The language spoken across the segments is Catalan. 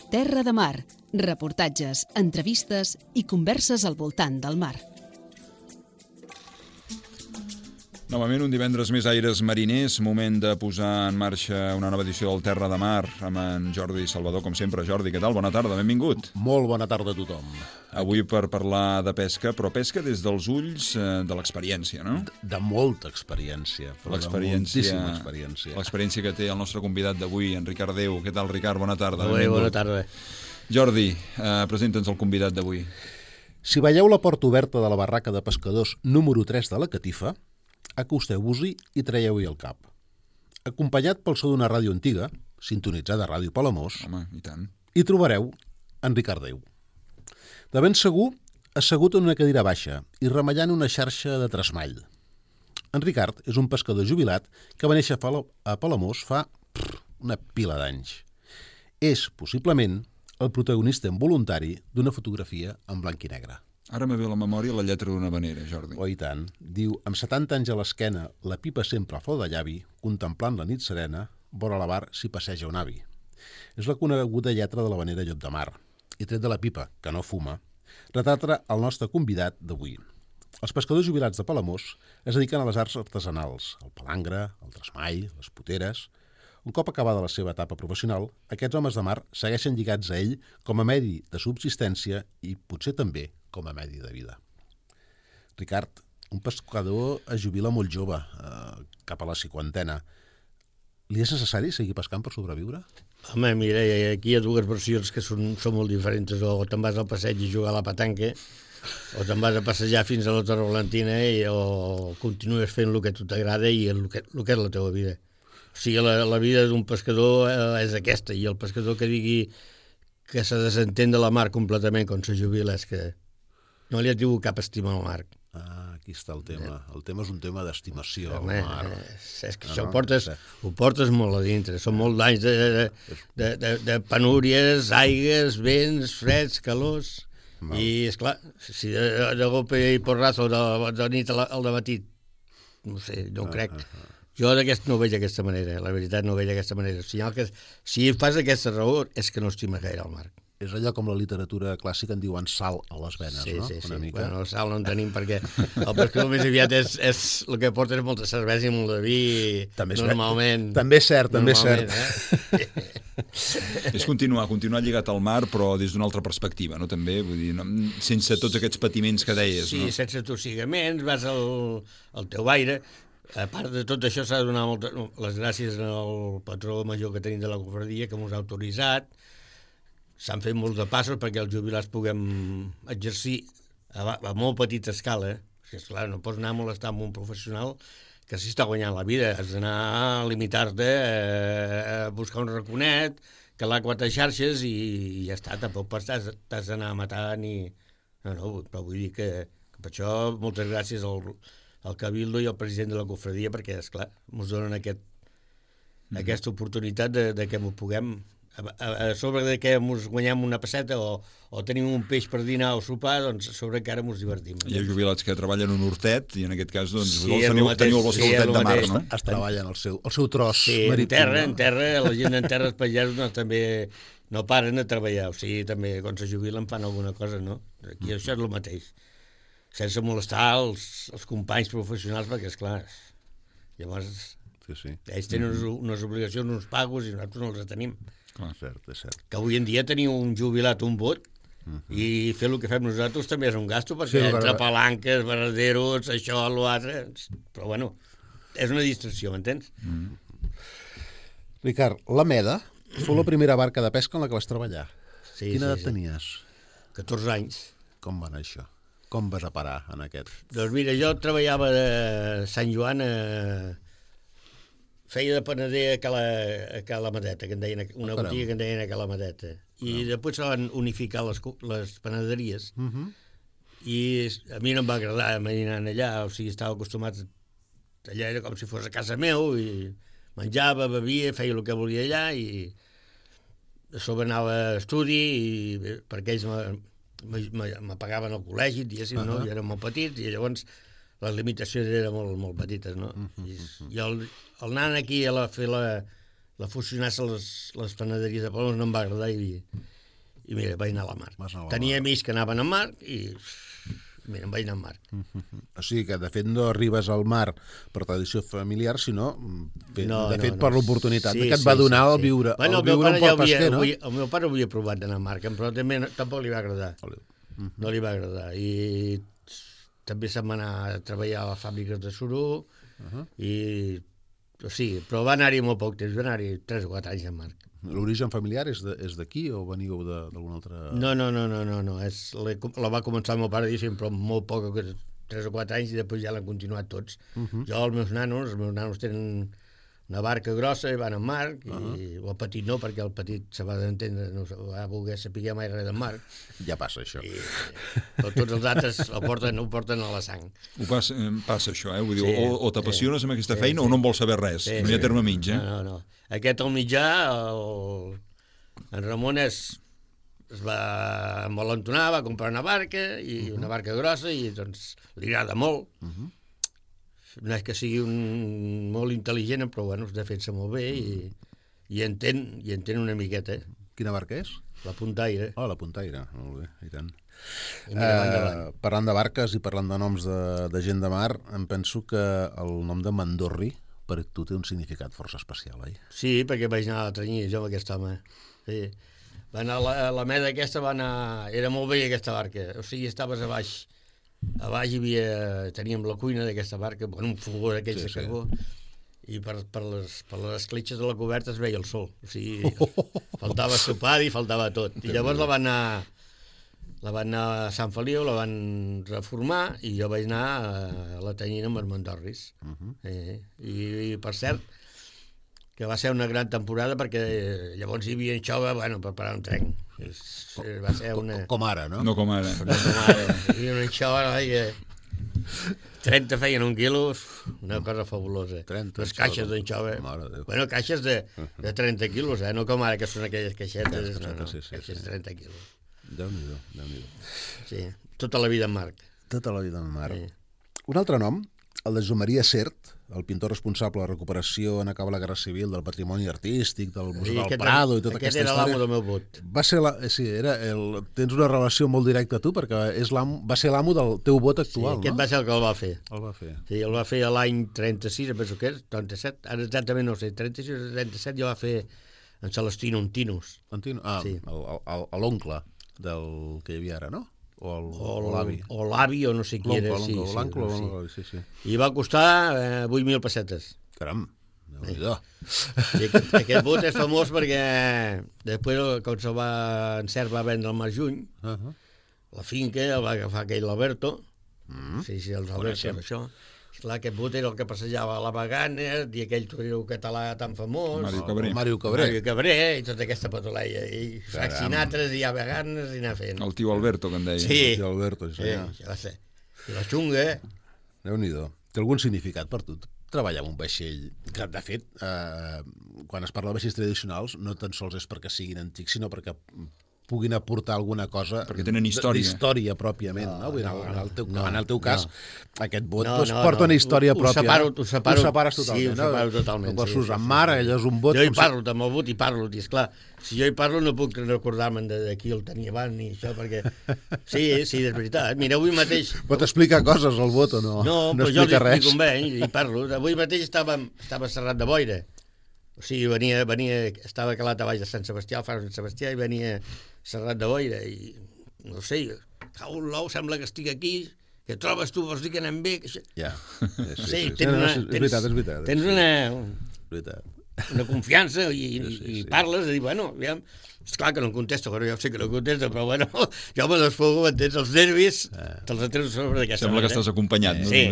Terra de Mar, reportatges, entrevistes i converses al voltant del mar. Novament un divendres més aires mariners, moment de posar en marxa una nova edició del Terra de Mar amb en Jordi Salvador, com sempre. Jordi, què tal? Bona tarda, benvingut. Molt bona tarda a tothom. Avui per parlar de pesca, però pesca des dels ulls de l'experiència, no? De molta experiència, però de moltíssima experiència. L'experiència que té el nostre convidat d'avui, en Ricard Déu. Què tal, Ricard? Bona tarda. Bona tarda. Jordi, presenta'ns el convidat d'avui. Si veieu la porta oberta de la barraca de pescadors número 3 de la Catifa, acosteu-vos-hi i traieu-hi el cap. Acompanyat pel so d'una ràdio antiga, sintonitzada a Ràdio Palamós, Home, i tant. hi trobareu en Ricard Déu. De ben segur, assegut en una cadira baixa i remellant una xarxa de tresmall. En Ricard és un pescador jubilat que va néixer a Palamós fa una pila d'anys. És, possiblement, el protagonista involuntari d'una fotografia en blanc i negre. Ara me ve a la memòria la lletra d'una vanera, Jordi. Oh, i tant. Diu, amb 70 anys a l'esquena, la pipa sempre a flor de llavi, contemplant la nit serena, vora la bar s'hi passeja un avi. És la coneguda lletra de la vanera Llop de Mar. I tret de la pipa, que no fuma, retrata el nostre convidat d'avui. Els pescadors jubilats de Palamós es dediquen a les arts artesanals, el palangre, el tresmall, les poteres. Un cop acabada la seva etapa professional, aquests homes de mar segueixen lligats a ell com a medi de subsistència i potser també com a medi de vida. Ricard, un pescador es jubila molt jove, cap a la cinquantena. Li és necessari seguir pescant per sobreviure? Home, mira, aquí hi ha dues versions que són molt diferents. O te'n vas al passeig a jugar a la petanca, o te'n vas a passejar fins a la Torre Valentina o continues fent el que a tu t'agrada i el que és la teva vida. O sigui, la vida d'un pescador és aquesta, i el pescador que digui que se desentén de la mar completament quan se jubila és que no li ha tingut cap estima al mar. Aquí està el tema. El tema és un tema d'estimació al Home, mar. És que això ho portes molt a dintre. Són molts anys de penúries, aigues, vents, freds, calors. I, esclar, si de golpe i porrazo de nit al dematí, no sé, no ho crec. Jo no ho veig d'aquesta manera, la veritat no ho veig d'aquesta manera. Si fas aquesta raó és que no estima gaire el mar. És allò com la literatura clàssica en diuen sal a les venes, no? Sí. Una mica. Bueno, sal no en tenim perquè el pescador més aviat és el que porta és molta cervesa i molt de vi, normalment. També és cert, també és cert. És continuar lligat al mar, però des d'una altra perspectiva, no? També, vull dir, sense tots aquests patiments que deies, no? Sí, sense tossigaments, vas al teu aire. A part de tot això s'ha de donar les gràcies al patró major que tenim de la cofradia, que ens ha autoritzat. S'han fet molts de passos perquè els jubilats puguem exercir a molt petita escala. Perquè, esclar, no pots anar a molestar amb un professional que s'hi està guanyant la vida. Has d'anar a limitar-te a buscar un raconet, calar 4 xarxes i ja està. Tampoc t'has d'anar a matar ni... No, però vull dir que per això moltes gràcies al Cabildo i al president de la cofradia perquè, esclar, ens donen aquesta oportunitat de que m'ho puguem... A sobre de que ens guanyem una passeta o tenim un peix per dinar o sopar, doncs a sobre encara ens divertim. Hi ha jubilats que treballen un hortet i en aquest cas doncs, teniu el vostre hortet de mar, no? Es treballen el seu tros marítim. En terra, la gent en terra, els pagesos també no paren de treballar. O sigui, també quan se jubilen fan alguna cosa, no? Aquí això és el mateix. Sense molestar els companys professionals, perquè, esclar, llavors ells tenen unes obligacions, uns pagos, i nosaltres no els tenim. És cert. Que avui en dia teniu un jubilat, un bot, i fer el que fem nosaltres també és un gasto, perquè entre palanques, varaderos, això, l'altre... Però, bueno, és una distracció, m'entens? Ricard, la Meda fou la primera barca de pesca en la que vas treballar. Quina edat tenies? 14 anys. Com va anar això? Com vas a parar en aquest? Doncs mira, jo treballava a Sant Joan, feia de panader a Cala Madeta, que en deien, una botiga que en deien a Cala Madeta. I després se van unificar les panaderies. I a mi no em va agradar anar allà, o sigui, estava acostumat, allà era com si fos a casa meu, i menjava, bevia, feia el que volia allà, i a sobre anava a estudi, perquè ells me pagaven al col·legi, diguéssim, no? Jo era molt petit, i llavors les limitacions eren molt petites, no? I el anant aquí a fer la fusionar-se les panaderies de Palamós no em va agradar, i i mira, vaig anar a la mar. Vas anar a la Tenia mar. amics que anaven a mar i mira, em vaig anar a mar. O sigui que, de fet, no arribes al mar per tradició familiar, sinó, de fet, no. per l'oportunitat Sí, que et va donar el sí. viure, Bueno, el viure un port pesquer, no? El meu pare ho havia provat d'anar a mar, però també tampoc li va agradar. No li va agradar. I també se'n va anar a treballar a les fàbriques de suro, i... O sigui, però va anar-hi molt poc temps, va anar-hi 3 o 4 anys a mar. L'origen familiar és d'aquí o veniu d'algun altre... No. La va començar el meu pare, diguéssim, però molt poc, 3 o 4 anys, i després ja l'han continuat tots. Jo, els meus nanos tenen una barca grossa i van al mar, i el petit no, perquè el petit se va d'entendre, no va voler saber mai res del mar. Ja passa, això. Però tots els altres ho porten a la sang. Passa això, vull dir, Sí, o t'apassiones amb aquesta sí, feina o no en vols saber res. No hi ha terme mig, No. Aquest al mitjà, en Ramon es va envalentonar, va comprar una barca, i una barca grossa, i doncs li agrada molt. No és que sigui molt intel·ligent, però bueno, es defensa molt bé i entén una miqueta. Quina barca és? La puntaire. La puntaire, molt bé, i tant. I mira, va endavant. Parlant de barques i parlant de noms de gent de mar, em penso que el nom de Mandorri per tu té un significat força especial, oi? Sí, perquè vaig anar a trenyir jo amb aquest home. Sí. Va anar la meda aquesta, era molt vella aquesta barca, o sigui, estaves a baix teníem la cuina d'aquesta barca, un fogó d'aquells de carbó, i per les escletxes de la coberta es veia el sol, o sigui, faltava sopar i faltava tot. I llavors la van anar a Sant Feliu, la van reformar, i jo vaig anar a la Tanyina amb els Mandorris. I per cert, que va ser una gran temporada, perquè llavors hi havia anxova, per parar un tren. Va ser una... Com ara, no? No com ara. No com ara. Hi havia una anxova, 30 feien 1 quilo, una cosa fabulosa. 30 Les caixes d'anxova. Caixes de 30 quilos, no com ara, que són aquelles caixetes. Caixes de 30 quilos. Déu-n'hi-do. Sí, tota la vida en mar. Tota la vida en mar. Un altre nom, el de Joan Maria Sert, el pintor responsable de la recuperació en acabar la Guerra Civil del patrimoni artístic, del Museu del Prado i tota aquesta història. Aquest era l'amo del meu vot. Va ser tens una relació molt directa a tu, perquè va ser l'amo del teu vot actual, no? Aquest va ser el que el va fer. El va fer. Sí, el va fer a l'any 36, penso que és, 37, ara exactament no sé, 36 o 37 ja va fer en Celestino Ontinos. L'oncle del que hi havia ara, no? O l'avi. O l'avi, o no sé qui era. L'oncle, sí. I va costar 8.000 pessetes. Caram, déu-n'hi-do. Aquest bot és famós perquè després, quan en Cert va vendre el Mar Juny, la finca el va agafar aquell Alberto. Sí, els Alberto, això. Clar, aquest bot era el que passejava a la Bagana, i aquell torero català tan famós. Mario Cabré, i tota aquesta patoleia. I Saxinatres, i a Baganes, i anar fent. El tio Alberto, que en deia. Sí. El tio Alberto, sí, això va ser. I la xunga. Déu-n'hi-do. Té algun significat per tu? Treballar amb un vaixell, que de fet, quan es parla de vaixells tradicionals, no tan sols és perquè siguin antics, sinó perquè puguin aportar alguna cosa d'història pròpiament, no? En el teu cas, aquest bot porta una història pròpia. Ho separes totalment. Sí, ho separo totalment. No pots en mar, allò és un bot... Jo hi parlo amb el bot i parlo, i esclar, si jo hi parlo no puc recordar-me'n de qui el tenia abans ni això, perquè... Sí, és veritat. Mira, avui mateix... Pot explicar coses al bot o no? No, però jo li explico amb ell i parlo. Avui mateix estava a Serrat de Boira. O sigui, estava calat a baix de Sant Sebastià, al far de Sant Sebastià, i venia Serrat de Boira, i no sé, cau l'ou, sembla que estic aquí, que trobes tu, vols dir que anem bé? Ja, sí. És veritat. Tens una confiança i parles, i bueno, aviam, esclar que no em contesta, però ja sé que no em contesta, però bueno, jo me desfogo, m'entens, els nervis, te'ls atreus sobre d'aquesta manera. Sembla que estàs acompanyat, no? Sí.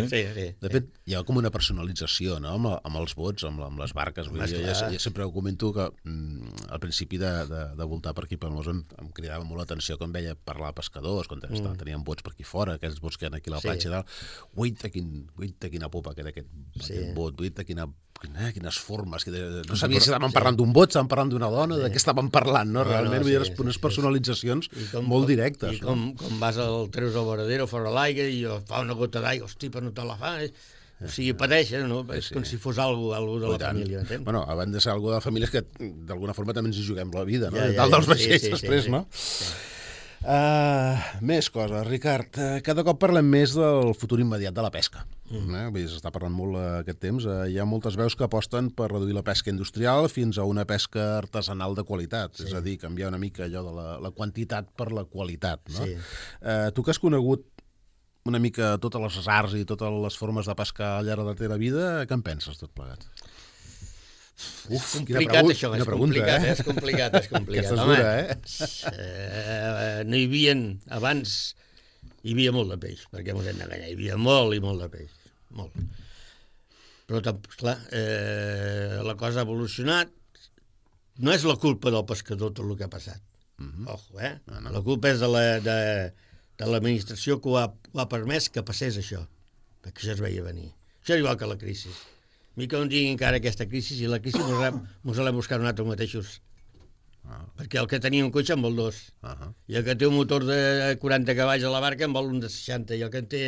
De fet, hi ha com una personalització, no?, amb els bots, amb les barques. Jo sempre ho comento que al principi de voltar per aquí pel Mos em cridava molt l'atenció quan veia parlar a pescadors, quan tenien bots per aquí fora, aquells bots que hi ha aquí a la platja i tal. Uita, quina popa que era aquest bot, uita, quines formes, no sabia si estaven parlant d'un bot, estaven parlant d'una dona, de què estaven parlant, no? Realment hi ha unes personalitzacions molt directes. I com vas treus al varadero fora l'aigua i fa una gota d'aigua, hosti, però no te la fa, O sigui, pateixen, no? És com si fos algú de la família, entens? Bueno, abans de ser algú de la família és que d'alguna forma també ens hi juguem la vida, no? Ja, Dalt dels vaixells sí, després, sí, no? Més coses, Ricard. Cada cop parlem més del futur immediat de la pesca. Vull dir, s'està parlant molt aquest temps. Hi ha moltes veus que aposten per reduir la pesca industrial fins a una pesca artesanal de qualitat. És a dir, canviar una mica allò de la quantitat per la qualitat, no? Sí. Tu que has conegut una mica totes les arts i totes les formes de pescar al llarg de la teva vida, què en penses tot plegat? És complicat, això, és complicat, és complicat. Aquesta és dura, No hi havia, abans, hi havia molt de peix, perquè mos hem d'enganyar, hi havia molt i molt de peix, molt. Però, clar, la cosa ha evolucionat, no és la culpa del pescador tot el que ha passat, ojo, no. La culpa és de l'administració que ho ha permès que passés això, perquè això es veia venir. Això és igual que la crisi. A mi que no digui encara aquesta crisi, i la crisi mos l'hem buscat nosaltres mateixos. Perquè el que tenia un cotxe en vol dos. I el que té un motor de 40 cavalls a la barca en vol un de 60. I el que en té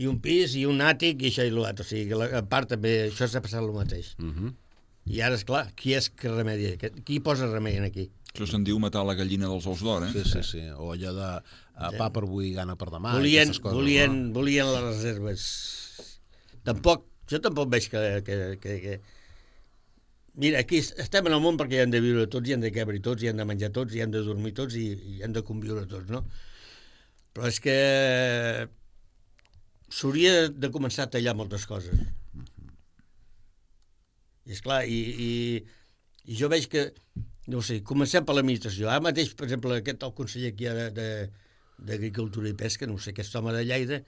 i un pis i un àtic i això i l'altre. O sigui, que a part també això s'ha passat el mateix. I ara, esclar, qui és que remedia? Qui posa remei aquí? Això se'n diu matar la gallina dels ous d'or, Sí. O allò de pa per avui, gana per demà. Volien les reserves. Jo tampoc veig que... Mira, aquí estem en el món perquè hi han de viure tots, hi han de quebre tots, hi han de menjar tots, hi han de dormir tots i hi han de conviure tots, no? Però és que s'hauria de començar a tallar moltes coses. I esclar, i jo veig que, no ho sé, comencem per l'administració. Ara mateix, per exemple, el conseller que hi ha d'Agricultura i Pesca, no ho sé, aquest home de Lleida,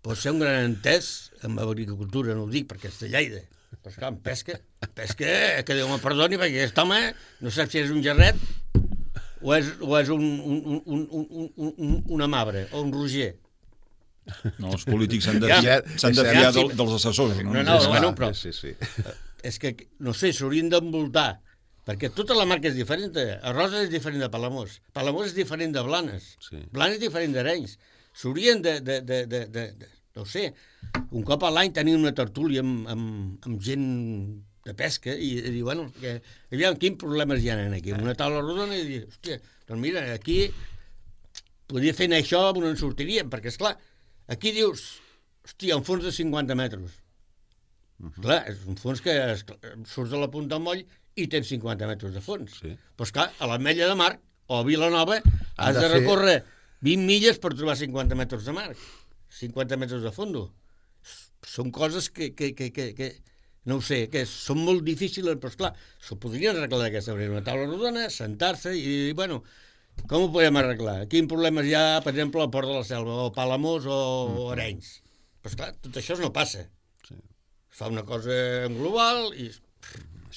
pot ser un gran entès en agricultura, no ho dic, perquè és de Lleida. Però esclar, en pesca, que Déu me perdoni, perquè aquest home no sap si és un gerret o és una mabre o un roger. No, els polítics s'han de fiar dels assessors, no? No, però sí. és que, no sé, s'haurien d'envoltar, perquè tota la marca és diferent. Arrosa és diferent de Palamós, Palamós és diferent de Blanes, Blanes és diferent d'Arenys. S'haurien no sé, un cop a l'any tenir una tertúlia amb gent de pesca i dir, bueno, aviam, quins problemes hi ha aquí? Una taula rodona i dir, hòstia, doncs mira, aquí podria fer això on en sortiríem, perquè, esclar, aquí dius, hòstia, un fons de 50 metres. Clar, és un fons que surts de la punta del moll i tens 50 metres de fons. Però, esclar, a l'Ametlla de Mar o a Vilanova has de recórrer 20 milles per trobar 50 metres de mar, 50 metres de fondo. Són coses que no ho sé, que són molt difícils, però esclar, s'ho podrien arreglar d'aquesta manera, una taula rodona, sentar-se i dir, bueno, com ho podem arreglar? Quins problemes hi ha, per exemple, al Port de la Selva, o Palamós o Arenys? Però esclar, tot això no passa. Es fa una cosa en global i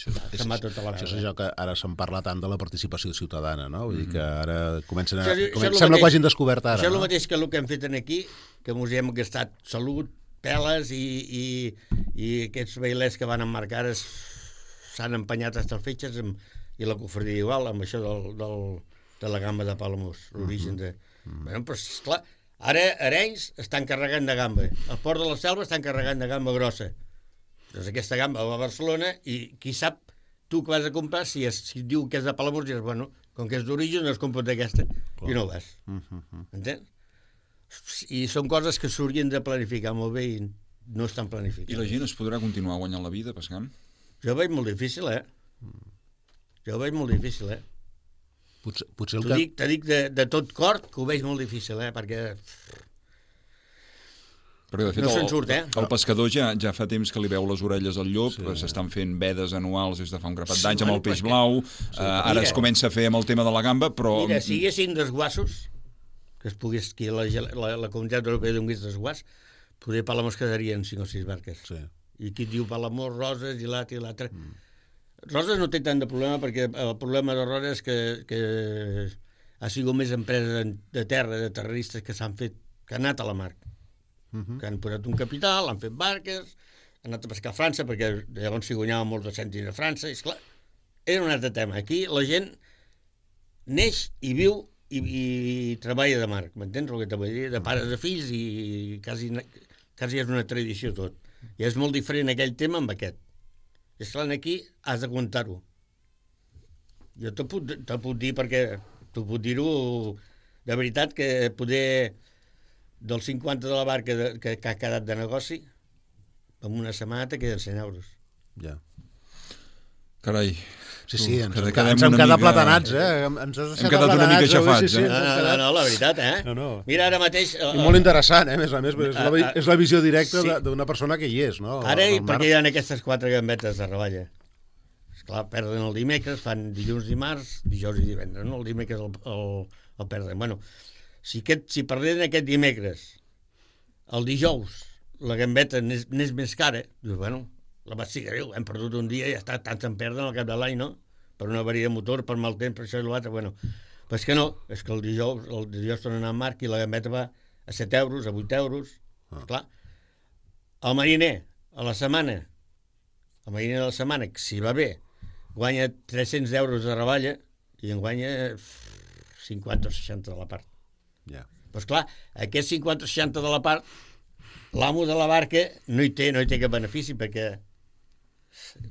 se'n va tota la vegada. Això és allò que ara se'n parla tant de la participació ciutadana, no? Vull dir que ara sembla que ho hagin descobert ara. Això és el mateix que el que hem fet aquí, que ens hem gastat salut, peles i aquests bailers que van emmarcar s'han empenyat fins als fetges i la cofradia igual amb això de la gamba de Palamós, l'origen de... Bueno, però esclar, ara Arenys estan carregant de gamba, al Port de la Selva estan carregant de gamba grossa. Doncs aquesta gamba va a Barcelona i qui sap tu que vas a comprar, si diu que és de Palamós, diràs, bueno, com que és d'origen no es compra d'aquesta i no vas. Entens? I són coses que s'haurien de planificar molt bé i no estan planificades. I la gent es podrà continuar guanyant la vida pescant? Jo ho veig molt difícil, Jo ho veig molt difícil, Potser T'ho dic de tot cor que ho veig molt difícil, perquè de fet, no se'n surt, el pescador ja fa temps que li veu les orelles al llop, s'estan fent vedes anuals des de fa un grapat d'anys amb el peix blau, ara es comença a fer amb el tema de la gamba, però... Mira, si hi haguessin desguassos, que es pogués, que la Comunitat Europea donés desguàs, poder Palamós quedarien 5 o 6 barques. I qui diu Palamós, Roses i l'altre. Roses no té tant de problema, perquè el problema de Roses és que ha sigut més empresa de terra, de terroristes que s'han fet, que han anat a la mar, que han posat un capital, han fet barques, han anat a pescar a França, perquè llavors s'hi guanyaven molts de cèntims a França, i esclar, era un altre tema. Aquí la gent neix i viu i treballa de mar, m'entens el que t'ho vull dir? De pares a fills i quasi és una tradició tot. I és molt diferent aquell tema amb aquest. I esclar, aquí has de comptar-ho. Jo te puc dir perquè t'ho puc dir-ho de veritat que poder del 50 de la barca que ha quedat de negoci en una setmana te queden 100 euros. Ja. Carai. Sí, ens hem quedat quedat platanats, Ens has deixat quedat una mica xafats, No, la veritat, No. Mira, ara mateix... I molt interessant, a més a més, és la visió directa d'una persona que hi és, no? Ara, perquè hi ha aquestes 4 gambetes de reballa. Esclar, perden el dimecres, fan dilluns, dimarts, dijous i divendres, no? El dimecres el perden. Bueno, si perderen aquest dimecres, el dijous, la gambeta n'és més cara, dius, bueno, la vaig ser greu, hem perdut un dia i ja està, tant se'n perden al cap de l'any, no? Per una avaria de motor, per mal temps, per això i l'altre, bueno. Però és que no, és que el dijous torna a anar en marc i la gambeta va a 7 euros, a 8 euros, clar. El mariner, a la setmana, si va bé, guanya 300 euros de reballa i en guanya 50 o 60 de la part. Ja. Doncs clar, aquests 50 o 60 de la part, l'amo de la barca no hi té cap benefici, perquè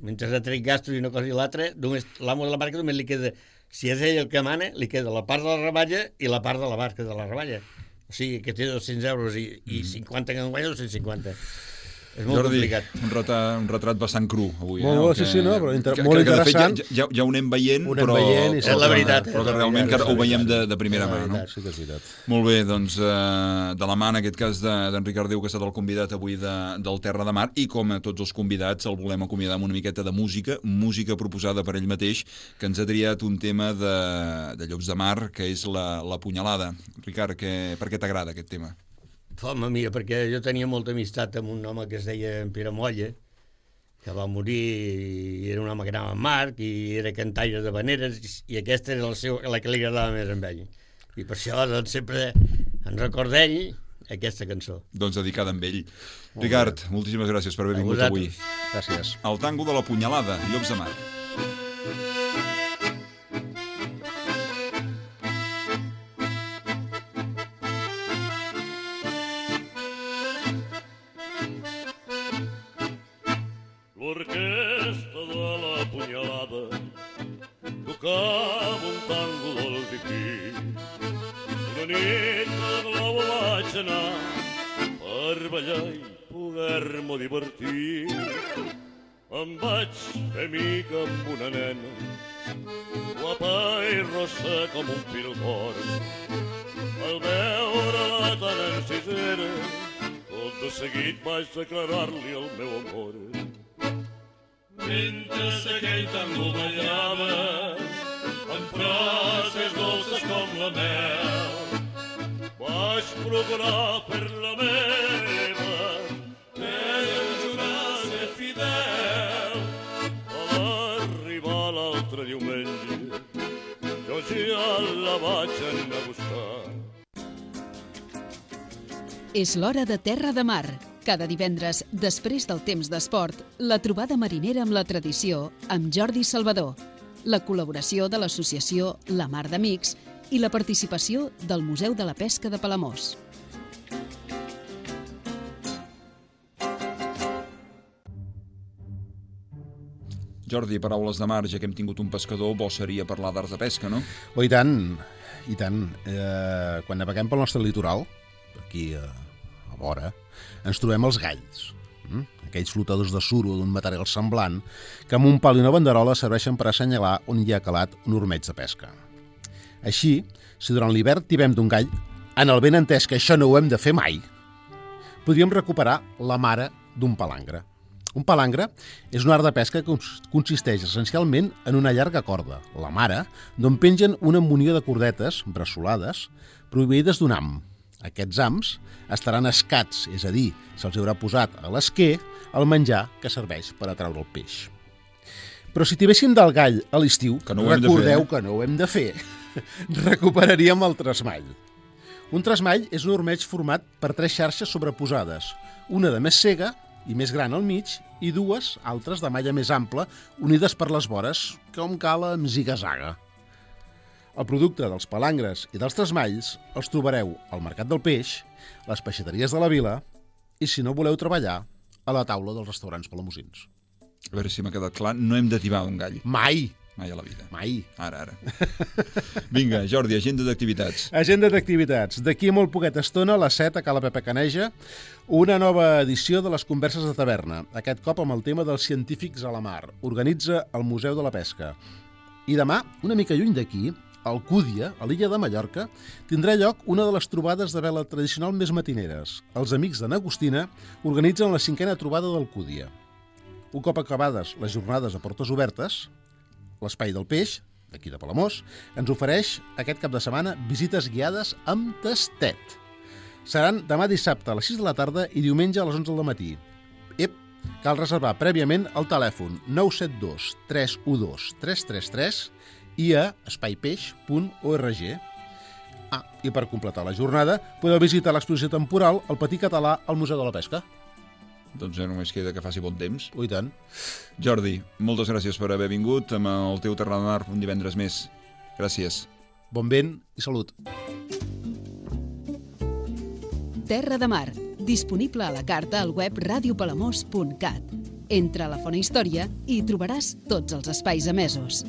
mentre ha tret gastos i una cosa i l'altra, l'amo de la barca només li queda, si és ell el que mana, li queda la part de la reballa i la part de la barca de la reballa. O sigui, que té 200 euros i 50 que en guanya 250. És molt complicat. Un retrat bastant cru, avui. Molt bo, sí, no, però molt interessant. De fet, ja ho anem veient, però és la veritat. Però que realment ho veiem de primera mà, no? Sí que és veritat. Molt bé, doncs, de la mà, en aquest cas, d'Enric Ardeu, que ha estat el convidat avui del Terra de Mar, i com a tots els convidats el volem acomiadar amb una miqueta de música proposada per ell mateix, que ens ha triat un tema de Llops de Mar, que és la punyalada. Ricard, per què t'agrada aquest tema? Home, mira, perquè jo tenia molta amistat amb un home que es deia Pere Molla, que va morir i era un home que anava en Marc i era cantaire de veneres i aquesta era la que li agradava més a ell. I per això doncs, sempre en record d'ell aquesta cançó. Doncs dedicada a ell. Ricard, moltíssimes gràcies per haver vingut avui. Gràcies. El tango de la punyalada, Llops de Mar. L'orquestra de la punyalada tocava un tango del Pipí. Una nit de globo vaig anar per ballar i poder-me divertir. Em vaig fer mica amb una nena, guapa i rossa com un pilgor. Al veure-la tan encisera, tot de seguit vaig declarar-li el meu amor. Mentre aquell tango ballava amb frases dolces com la mel, vaig procurar per la meva ella em jurar ser fidel. A l'arribar l'altre diumenge jo ja la vaig anar a buscar. És l'hora de Terra de Mar. Cada divendres, després del temps d'esport, la trobada marinera amb la tradició amb Jordi Salvador, la col·laboració de l'associació La Mar d'Amics i la participació del Museu de la Pesca de Palamós. Jordi, paraules de mar, ja que hem tingut un pescador, bo seria parlar d'arts de pesca, no? Oh, i tant, i tant. Quan naveguem pel nostre litoral, aquí a vora, ens trobem els galls, aquells flotadors de suro d'un material semblant que amb un pal i una banderola serveixen per assenyalar on hi ha calat un ormeig de pesca. Així, si durant l'hivern tibem d'un gall, en el ben entès que això no ho hem de fer mai, podríem recuperar la mare d'un palangre. Un palangre és un art de pesca que consisteix essencialment en una llarga corda, la mare, d'on pengen una munió de cordetes, bressolades, proveïdes d'un ham. Aquests hams estaran escats, és a dir, se'ls haurà posat a l'esquer el menjar que serveix per atraure el peix. Però si tibéssim del gall a l'estiu, recordeu que no ho hem de fer, recuperaríem el tresmall. Un tresmall és un ormeig format per 3 xarxes sobreposades, una de més cega i més gran al mig i 2 altres de malla més ampla unides per les vores, com cal amb ziga-zaga. El producte dels palangres i dels tresmalls els trobareu al Mercat del Peix, les peixateries de la vila i, si no voleu treballar, a la taula dels restaurants palamosins. A veure si m'ha quedat clar, no hem d'ativar un gall. Mai! Mai a la vida. Mai! Ara. Vinga, Jordi, agenda d'activitats. Agenda d'activitats. D'aquí a molt poqueta estona, a les 7, a Cala Pepe Caneja, una nova edició de les Converses de Taverna, aquest cop amb el tema dels científics a la mar. Organitza el Museu de la Pesca. I demà, una mica lluny d'aquí, a Alcúdia, a l'illa de Mallorca, tindrà lloc una de les trobades de vela tradicional més matineres. Els amics de n'Agustina organitzen la 5a trobada d'Alcúdia. Un cop acabades les jornades a portes obertes, l'Espai del Peix, d'aquí de Palamós, ens ofereix aquest cap de setmana visites guiades amb tastet. Seran demà dissabte a les 6 de la tarda i diumenge a les 11 del matí. Cal reservar prèviament al telèfon 972 312 333 i a espaipeix.org. I per completar la jornada podeu visitar l'exposició temporal El Petit Català al Museu de la Pesca. Doncs ja només queda que faci bon temps. I tant. Jordi, moltes gràcies per haver vingut amb el teu Terra de Mar un divendres més. Gràcies. Bon vent i salut. Terra de Mar, disponible a la carta al web radiopalamós.cat. Entra a la Fona Història i hi trobaràs tots els espais emesos.